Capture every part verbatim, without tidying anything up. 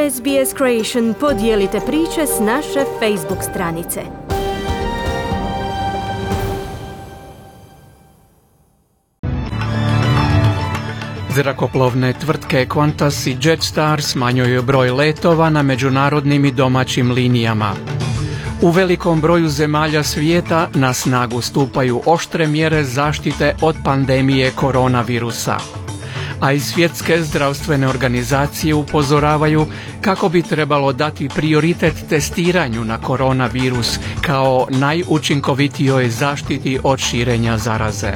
S B S Creation podijelite priče s naše Facebook stranice. Zrakoplovne tvrtke Qantas i Jetstar smanjuju broj letova na međunarodnim i domaćim linijama. U velikom broju zemalja svijeta na snagu stupaju oštre mjere zaštite od pandemije koronavirusa. A i svjetske zdravstvene organizacije upozoravaju kako bi trebalo dati prioritet testiranju na koronavirus kao najučinkovitijoj zaštiti od širenja zaraze.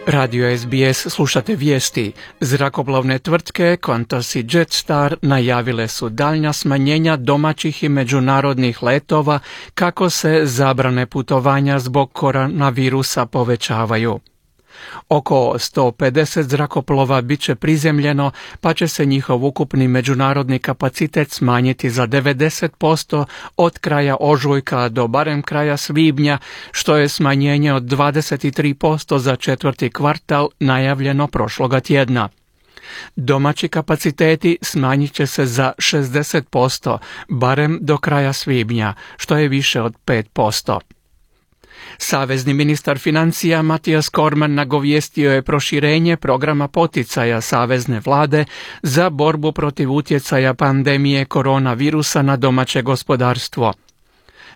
Radio S B S slušate vijesti. Zrakoplovne tvrtke Qantas i Jetstar najavile su daljnja smanjenja domaćih i međunarodnih letova kako se zabrane putovanja zbog koronavirusa povećavaju. Oko sto pedeset zrakoplova bit će prizemljeno, pa će se njihov ukupni međunarodni kapacitet smanjiti za devedeset posto od kraja ožujka do barem kraja svibnja, što je smanjenje od dvadeset tri posto za četvrti kvartal najavljeno prošloga tjedna. Domaći kapaciteti smanjit će se za šezdeset posto, barem do kraja svibnja, što je više od pet posto. Savezni ministar financija Mathias Cormann nagovijestio je proširenje programa poticaja savezne vlade za borbu protiv utjecaja pandemije koronavirusa na domaće gospodarstvo.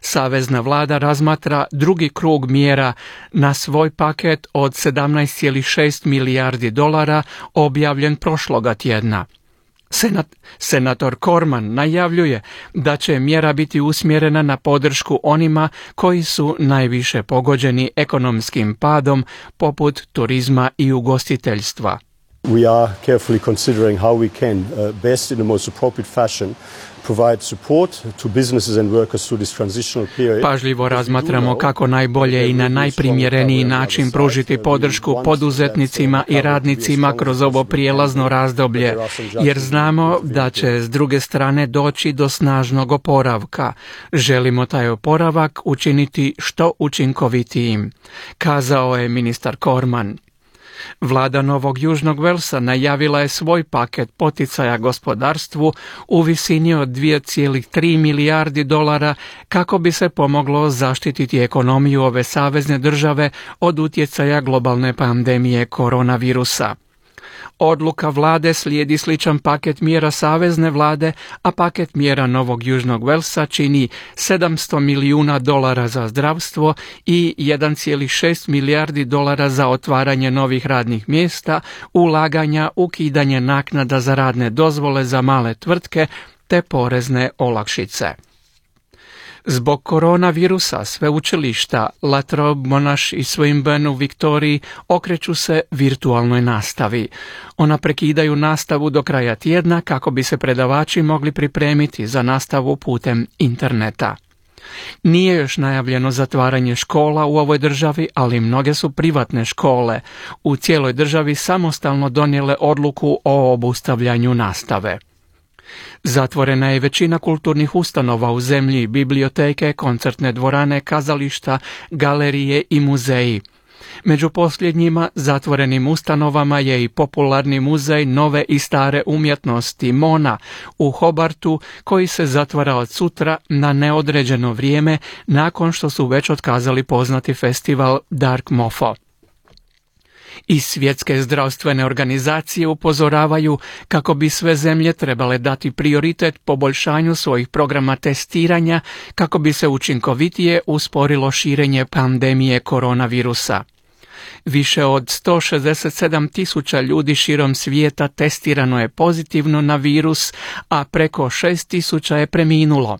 Savezna vlada razmatra drugi krug mjera na svoj paket od sedamnaest zarez šest milijardi dolara objavljen prošloga tjedna. Senat, senator Cormann najavljuje da će mjera biti usmjerena na podršku onima koji su najviše pogođeni ekonomskim padom, poput turizma i ugostiteljstva. We are carefully considering how we can uh, best in the most appropriate fashion provide support to businesses and workers through this transitional period. Pažljivo razmatramo kako najbolje i na najprimjereniji način pružiti podršku poduzetnicima i radnicima kroz ovo prijelazno razdoblje, jer znamo da će s druge strane doći do snažnog oporavka. Želimo taj oporavak učiniti što učinkovitijim, kazao je ministar Cormann. Vlada Novog Južnog Velsa najavila je svoj paket poticaja gospodarstvu u visini od dvije zarez tri milijardi dolara kako bi se pomoglo zaštititi ekonomiju ove savezne države od utjecaja globalne pandemije koronavirusa. Odluka vlade slijedi sličan paket mjera savezne vlade, a paket mjera Novog Južnog Velsa čini sedamsto milijuna dolara za zdravstvo i jedan zarez šest milijardi dolara za otvaranje novih radnih mjesta, ulaganja, ukidanje naknada za radne dozvole za male tvrtke te porezne olakšice. Zbog koronavirusa sveučilišta La Trobe, Monash i Swinburne u Viktoriji okreću se virtualnoj nastavi. Ona prekidaju nastavu do kraja tjedna kako bi se predavači mogli pripremiti za nastavu putem interneta. Nije još najavljeno zatvaranje škola u ovoj državi, ali mnoge su privatne škole u cijeloj državi samostalno donijele odluku o obustavljanju nastave. Zatvorena je većina kulturnih ustanova u zemlji, biblioteke, koncertne dvorane, kazališta, galerije i muzeji. Među posljednjima zatvorenim ustanovama je i popularni muzej nove i stare umjetnosti Mona u Hobartu, koji se zatvara od sutra na neodređeno vrijeme nakon što su već otkazali poznati festival Dark Mofo. I svjetske zdravstvene organizacije upozoravaju kako bi sve zemlje trebale dati prioritet poboljšanju svojih programa testiranja kako bi se učinkovitije usporilo širenje pandemije koronavirusa. Više od sto šezdeset sedam tisuća ljudi širom svijeta testirano je pozitivno na virus, a preko šest tisuća je preminulo.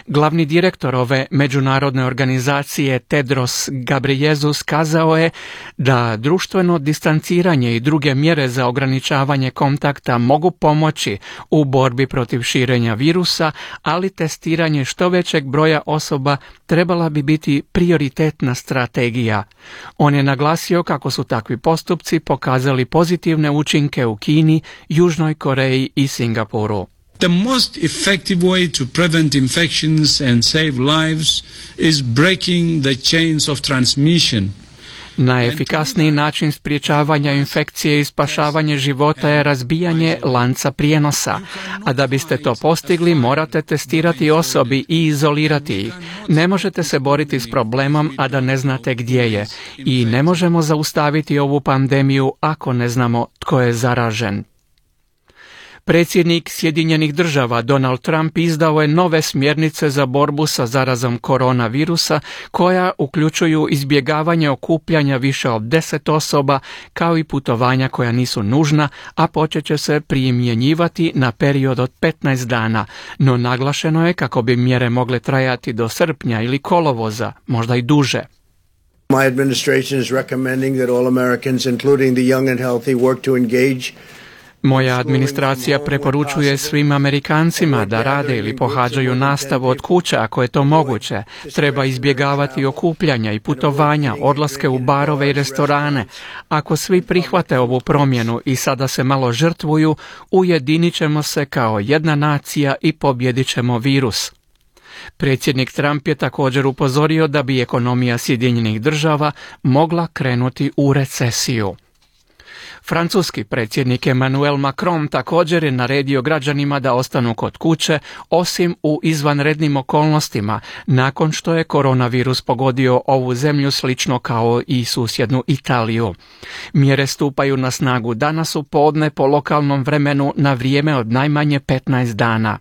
Glavni direktor ove međunarodne organizacije Tedros Ghebreyesus kazao je da društveno distanciranje i druge mjere za ograničavanje kontakta mogu pomoći u borbi protiv širenja virusa, ali testiranje što većeg broja osoba trebala bi biti prioritetna strategija. On je naglasio kako su takvi postupci pokazali pozitivne učinke u Kini, Južnoj Koreji i Singapuru. The most effective way to prevent infections and save lives is breaking the chains of transmission. Najefikasniji način sprječavanja infekcije i spašavanje života je razbijanje lanca prijenosa, a da biste to postigli morate testirati osobi i izolirati ih. Ne možete se boriti s problemom, a da ne znate gdje je, i ne možemo zaustaviti ovu pandemiju ako ne znamo tko je zaražen. Predsjednik Sjedinjenih država Donald Trump izdao je nove smjernice za borbu sa zarazom koronavirusa koja uključuju izbjegavanje okupljanja više od deset osoba kao i putovanja koja nisu nužna, a počet će se primjenjivati na period od petnaest dana, no naglašeno je kako bi mjere mogle trajati do srpnja ili kolovoza, možda i duže. My administration is recommending that all Americans, including the young and healthy, work to engage. Moja administracija preporučuje svim Amerikancima da rade ili pohađaju nastavu od kuće ako je to moguće. Treba izbjegavati okupljanja i putovanja, odlaske u barove i restorane. Ako svi prihvate ovu promjenu i sada se malo žrtvuju, ujedinit ćemo se kao jedna nacija i pobjedit ćemo virus. Predsjednik Trump je također upozorio da bi ekonomija Sjedinjenih država mogla krenuti u recesiju. Francuski predsjednik Emmanuel Macron također je naredio građanima da ostanu kod kuće, osim u izvanrednim okolnostima, nakon što je koronavirus pogodio ovu zemlju slično kao i susjednu Italiju. Mjere stupaju na snagu danas u podne po lokalnom vremenu na vrijeme od najmanje petnaest dana.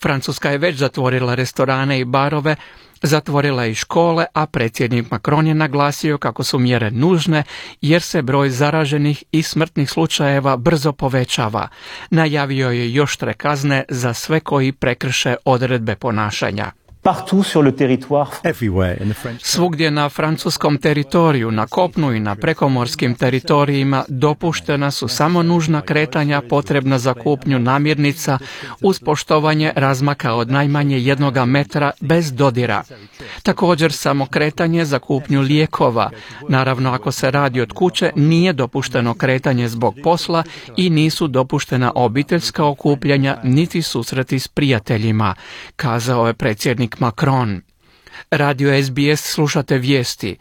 Francuska je već zatvorila restorane i barove, zatvorila je i škole, a predsjednik Macron je naglasio kako su mjere nužne jer se broj zaraženih i smrtnih slučajeva brzo povećava. Najavio je još oštre kazne za sve koji prekrše odredbe ponašanja. Svugdje na francuskom teritoriju, na kopnu i na prekomorskim teritorijima dopuštena su samo nužna kretanja potrebna za kupnju namirnica uz poštovanje razmaka od najmanje jednoga metra bez dodira. Također samo kretanje za kupnju lijekova. Naravno, ako se radi od kuće, nije dopušteno kretanje zbog posla i nisu dopuštena obiteljska okupljanja niti susreti s prijateljima, kazao je predsjednik Macron. Radio S B S slušate vijesti.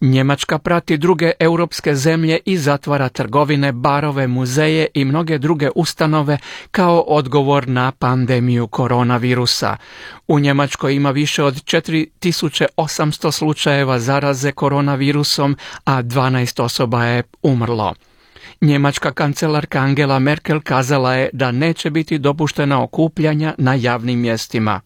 Njemačka prati druge europske zemlje i zatvara trgovine, barove, muzeje i mnoge druge ustanove kao odgovor na pandemiju koronavirusa. U Njemačkoj ima više od četiri tisuće osamsto slučajeva zaraze koronavirusom, a dvanaest osoba je umrlo. Njemačka kancelarka Angela Merkel kazala je da neće biti dopuštena okupljanja na javnim mjestima.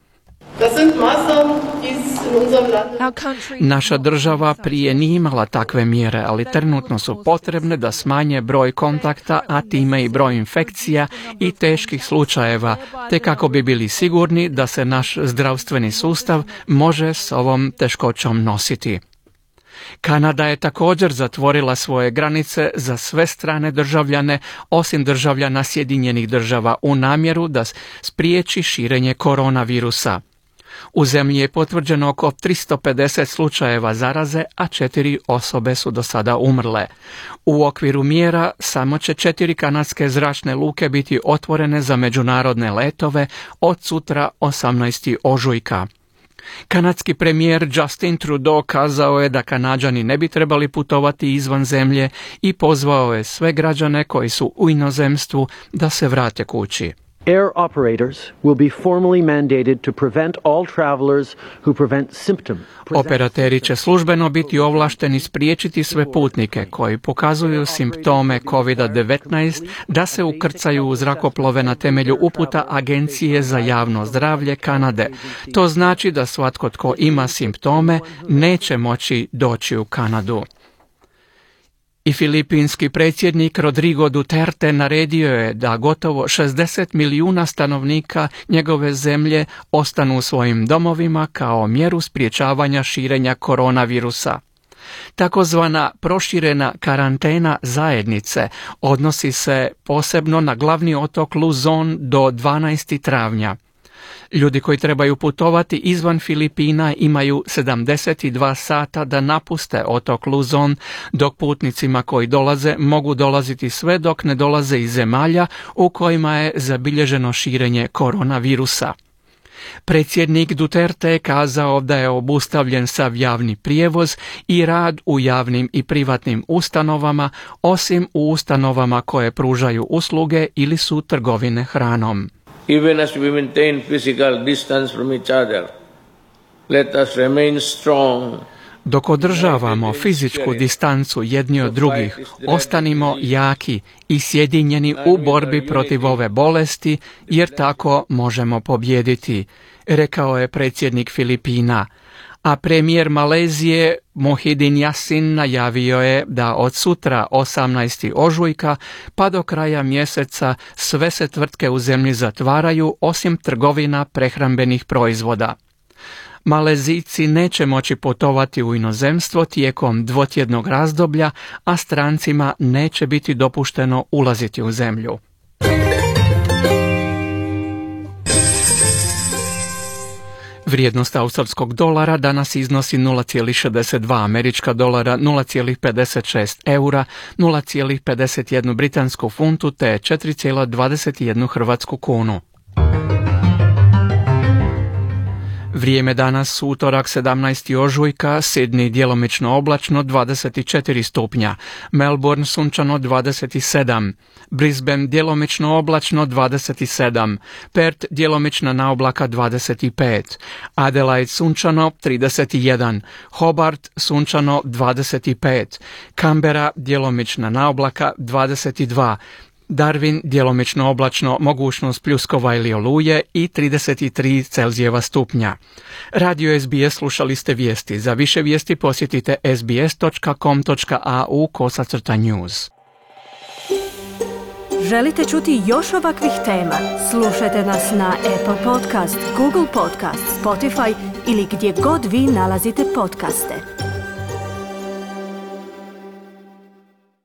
Naša država prije nije imala takve mjere, ali trenutno su potrebne da smanje broj kontakta, a time i broj infekcija i teških slučajeva, te kako bi bili sigurni da se naš zdravstveni sustav može s ovom teškoćom nositi. Kanada je također zatvorila svoje granice za sve strane državljane, osim državljana Sjedinjenih država, u namjeru da spriječi širenje koronavirusa. U zemlji je potvrđeno oko tristo pedeset slučajeva zaraze, a četiri osobe su do sada umrle. U okviru mjera samo će četiri kanadske zračne luke biti otvorene za međunarodne letove od sutra osamnaestog ožujka. Kanadski premijer Justin Trudeau kazao je da Kanađani ne bi trebali putovati izvan zemlje i pozvao je sve građane koji su u inozemstvu da se vrate kući. Air operators will be formally mandated to prevent all travelers who prevent symptom. Operateri će službeno biti ovlašteni spriječiti sve putnike koji pokazuju simptome kovid devetnaest da se ukrcaju u zrakoplove na temelju uputa Agencije za javno zdravlje Kanade. To znači da svatko tko ima simptome neće moći doći u Kanadu. I filipinski predsjednik Rodrigo Duterte naredio je da gotovo šezdeset milijuna stanovnika njegove zemlje ostanu u svojim domovima kao mjeru sprječavanja širenja koronavirusa. Takozvana proširena karantena zajednice odnosi se posebno na glavni otok Luzon do dvanaestog travnja. Ljudi koji trebaju putovati izvan Filipina imaju sedamdeset dva sata da napuste otok Luzon, dok putnicima koji dolaze mogu dolaziti sve dok ne dolaze iz zemalja u kojima je zabilježeno širenje koronavirusa. Predsjednik Duterte je kazao da je obustavljen sav javni prijevoz i rad u javnim i privatnim ustanovama, osim u ustanovama koje pružaju usluge ili su trgovine hranom. Even as we maintain physical distance from each other, let us remain strong. Dok održavamo fizičku distancu jedni od drugih, ostanimo jaki i sjedinjeni u borbi protiv ove bolesti, jer tako možemo pobijediti, rekao je predsjednik Filipina. A premijer Malezije Muhyiddin Yassin najavio je da od sutra osamnaestog ožujka pa do kraja mjeseca sve se tvrtke u zemlji zatvaraju osim trgovina prehrambenih proizvoda. Malezijci neće moći putovati u inozemstvo tijekom dvotjednog razdoblja, a strancima neće biti dopušteno ulaziti u zemlju. Vrijednost australskog dolara danas iznosi nula zarez šezdeset dva američka dolara, nula zarez pedeset šest eura, nula zarez pedeset jedan britansku funtu te četiri zarez dvadeset jedan hrvatsku kunu. Vrijeme danas, utorak sedamnaestog ožujka, Sydney djelomično oblačno dvadeset četiri stupnja, Melbourne sunčano dvadeset sedam, Brisbane djelomično oblačno dvadeset sedam, Perth djelomična naoblaka dvadeset pet, Adelaide sunčano trideset jedan, Hobart sunčano dvadeset pet, Canberra djelomična naoblaka dvadeset dva, Darwin djelomično oblačno, mogućnost pljuskova ili oluje i trideset tri Celzijeva stupnja. Radio S B S slušali ste vijesti. Za više vijesti posjetite sbs točka com točka a u kosacrta news. Želite čuti još ovakvih tema? Slušajte nas na Apple Podcast, Google Podcast, Spotify ili gdje god vi nalazite podcaste.